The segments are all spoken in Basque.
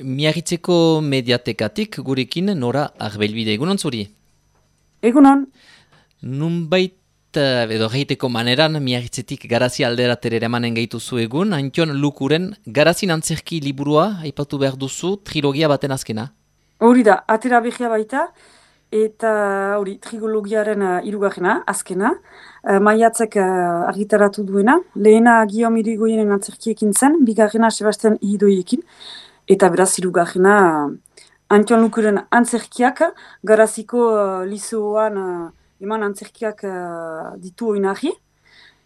Miarritzeko mediatekatik gurekin Nora Arbelbide. Egunon zuri? Egunon. Nunbait edo geiteko maneran Miarritzetik Garazi aldera tereremanen gaituzu egun, Antion Lukuren Garazin antzerki liburua aipatu behar duzu trilogia baten azkena. Hori da, atera behia baita, eta hori trilogiaren hirugarrena, azkena, maiatzek argitaratu duena, lehena Guillaume Irigoyenen antzerkiekin zen, bigarrena Sebastian Idoiekin, eta beraz hirugarrena Antion Lukuren antzerkiak, Garaziko liceoan eman antzerkiak ditu oinarri.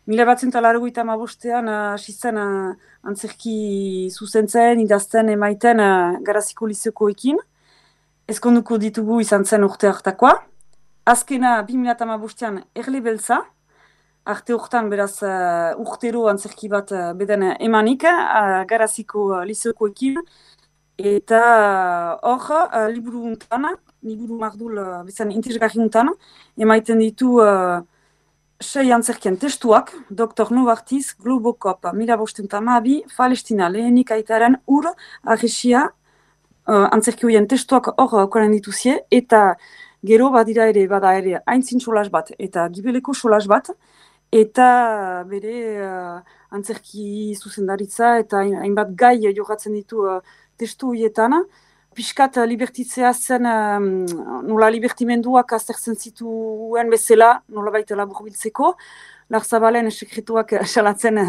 1985 hasi zen antzerki zuzentzen, idazten emaiten Garaziko liceokoekin. Ezkonduko ditugu izan zen urte hartakoa. Azkena 2015an Erle Beltza. Arte hortan beraz urtero antzerki bat beden emanik Garaziko liceokoekin. Eta hor, liburu mardul bezan interesgarri untan, emaiten ditu 6 antzerkien testuak, Dr. Novartis, Globocop, 1512, Palestina, lehenik aitaren arresia antzerkioien testuak hor okaren dituzie, eta gero bada ere aintzin solas bat, eta gibeleko solas bat, eta bere antzerki zuzendaritza, eta hainbat gai jogatzen ditu testu horietan. Piskat libertitzea zen nola libertimenduak aztertzen zituen bezala, nola baita laburbiltzeko, Larzabalen sekretuak salatzen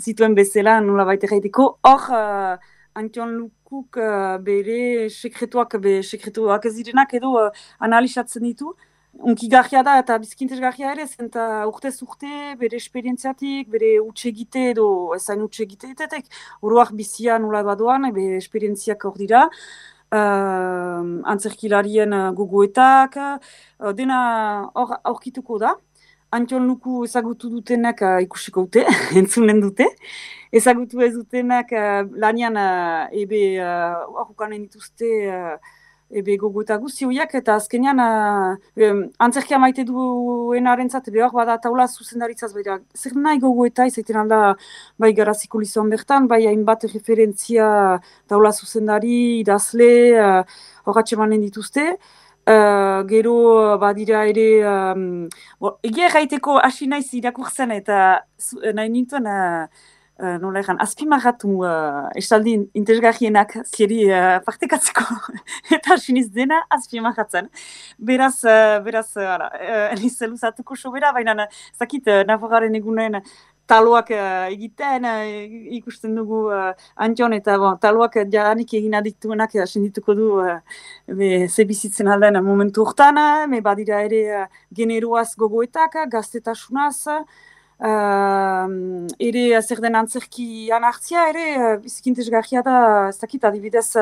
zituen bezala, nola baita gaiteko. Hor, Antion Lukuk bere sekretuak ez direnak edo analizatzen ditu. Unkigarria da eta bizkintesgarria ere, zenta urtez urte bere esperientziatik, bere utsegite edo ezain utsegiteetetek, oroak bizia nola badoan, bere esperientziak hor dira. Antzerkilarien gogoetak, dena hor aurkituko da. Antion Luku ezagutu dutenak ikusiko dute, entzunen dute. Ezagutu ez dutenak lanian horrekanen dituzte ebe gogoeta guztioiak, eta azkenean antzerkia maite duenarentzat behar bada taula zuzendaritzaz behar. Zer nahi gogoeta izaiten alda bai Garaziko liceoan bertan, bai hainbat referentzia taula zuzendari, idazle, horratxe manen dituzte. Gero badira ere, egia erraiteko hasi naiz irakurtzen eta nahi nintuen nola egan, azpimarratu esaldi interesgarrienak zieri partekatzeko eta siniz dena azpimarratzen. Beraz, eliz luzatuko sobera, baina zakit Nafarroaren egunen taloak egiten, ikusten dugu Antion eta taloak jadanik egin adiktuenak sendituko du ze bizitzen alden momentu hortan, badira ere generoaz gogoetak, gaztetasunaz, ere zer den antzerki anartzia, ere bizkintesgarria da, ez dakit adibidez,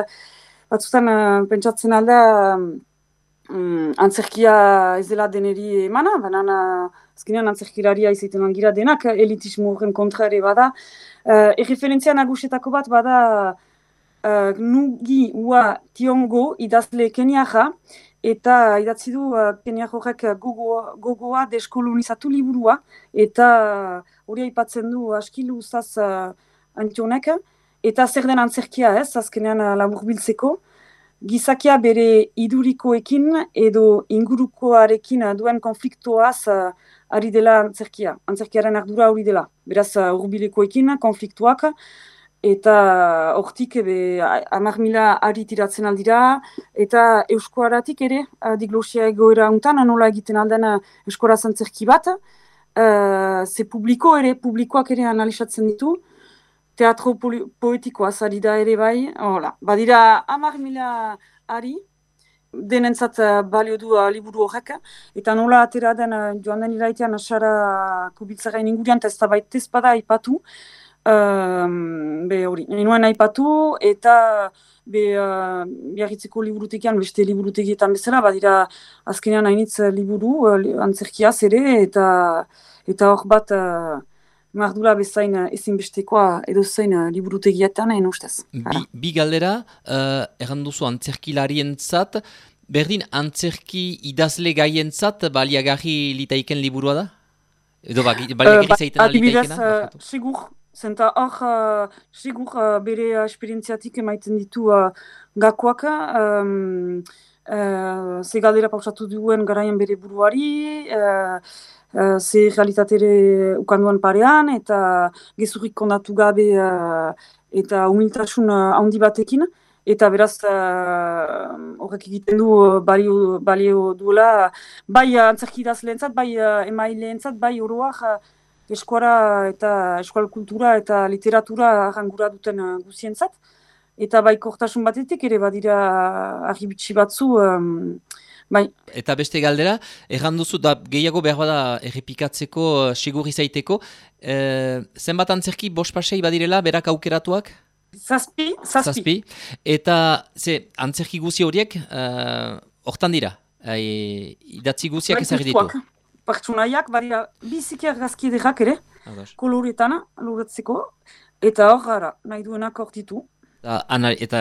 batzutan pentsatzen alda antzerkia ez dela deneri emana, baina azkenean antzerkilaria izaiten angira denak, elitismo horren kontra ere bada. Erreferentzia nagusetako bat bada Ngugi wa Thiong'o idazle keniarra, eta idatzi du Keniar horrek gogoa deskolonizatu liburua, eta hori aipatzen du askilu uzaz Antionek, eta zer den antzerkia ez, azkenean laburbiltzeko, gizakia bere idurikoekin edo ingurukoarekin duen konfliktoaz ari dela antzerkia. Antzerkiaren ardura hori dela. Beraz, hurbilekoekin konfliktuak, eta hortik 10.000 ari tiratzen aldira, eta euskoaratik ere, diglosia egoera untan, nola egiten alden euskoraz antzerki bat, ze publikoak ere analizatzen ditu, teatro poetikoaz ari da ere bai, hola. Badira 10.000 ari, denentzat balio du liburu horrek, eta nola atera den joan den iraitean Sara Kubiltzaren ingurian, ez da baita ez bada aipatu, hori, ninoen aipatu, eta Biarritzeko liburutegian, beste liburutegietan bezala, badira azkenean hainitz liburu, antzerkiaz ere, eta hor bat mardula bezain ezinbestekoa edo zein liburutegietan, ustez. Bi galdera, erranduzu antzerkilarientzat, berdin antzerki idazle gaientzat baliagarri litaiken liburua da? Edo baliagarri zaiten alitaikena? Segur, Zenta hor, sigur bere esperientziatik emaiten ditu gakoak, ze galdera pausatu duen garaien bere buruari, ze realitatere ukanduan parean, eta gezurrik kondatu gabe eta humiltasun handi batekin, eta beraz horrek egiten du balio duela, bai antzerkidaz lehentzat, bai emaileentzat, bai oroak, eskuara eta eskual kultura eta literatura arrangura duten guzientzat. Eta bai kortasun batetik ere badira argibitxi batzu, bai. Eta beste galdera, erran duzu da gehiago behar bada errepikatzeko, sigur izaiteko, zenbat antzerki bost pasei badirela, berak aukeratuak? Zazpi. Eta antzerki guzi horiek, hortan dira, idatzi guziak ezagir ditu? Pertsonaiak, badira biziki argazki ederrak ere, koloretan, loretzeko, eta hor gara, nahi duenak hor ditu. Eta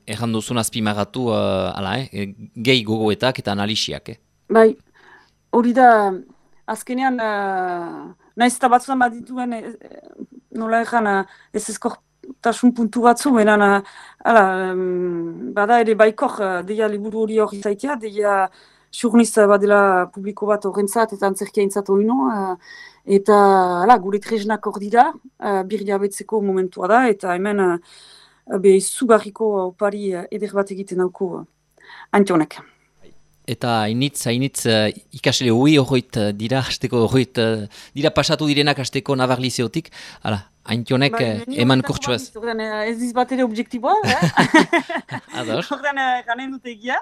erran duzun azpimagatu, gehi gogoetak eta analisiak, Bai, hori da, azkenean, nahiz eta batzuan badituen, nola erran, ez ezkortasun puntu batzu, benan, bada ere baikor, deia liburu hori hori zaitea, deia surniz badela publiko bat horrentzat eta antzerkia intzat hori eta gure tresnak hor dira, birria betzeko momentua da, eta hemen izugarriko opari eder bat egiten dauko Antionek. Eta hainitz ikasle horreit dira, dira pasatu direnak hasteko Navarlizeotik, Antionek eman kurtsuaz. Ez diz bat ere objektiboa, Ador. Horren ganen dute egia.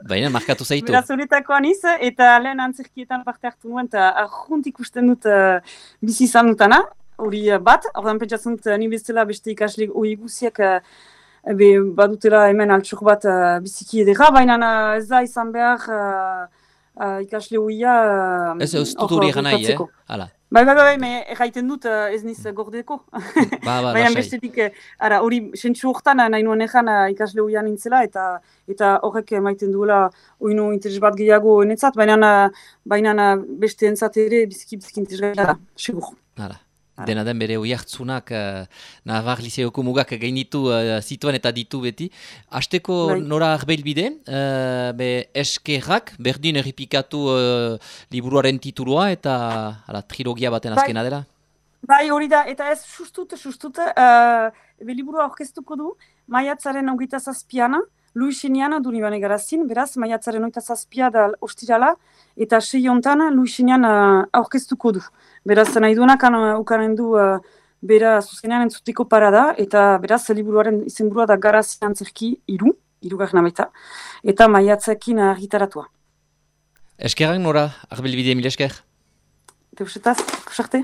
Baina, markatu zaitu. Beraz honetako aniz, eta lehen antzerkietan parte hartu nuen, eta arjunt ikusten dut bizi izan dutana, hori bat, horren pentsatzen dut ni bezala beste ikasle hori guziak badutela hemen altxor bat biziki edera, baina ez da izan behar ikasle horia ez dut hori egan nahi, Bai, erraiten dut ez niz gordeko. Baina bestetik, hori sentsu hortan nahi nuen egan ikasle horia nintzela, eta horrek maiten duela oino interes bat gehiago enetzat, baina beste entzat ere biziki interes da, segur. Dena den bere hoi hartzunak Navarlizeoko mugak gainitu zituen eta ditu beti. Hasteko nora arbeilbide, eskerrak, berdin errepikatu liburuaren titulua eta trilogia baten azkena dela? Bai, hori da, eta ez sustut, liburua orkestuko du, maiatzaren 27 Luisinian Dunibane Garazin, beraz, maiatzaren 27 da ostirala, eta 6 hontan Luisinian aurkeztuko du. Beraz, nahi duenak ukanen du bera zuzenean entzutiko parada, eta beraz, liburuaren izenburua da Garazin antzerki 3, 3 baita, eta maiatzekin argitaratua. Eskerrak nora, arbelbide mil esker? Teusetaz, kusarte?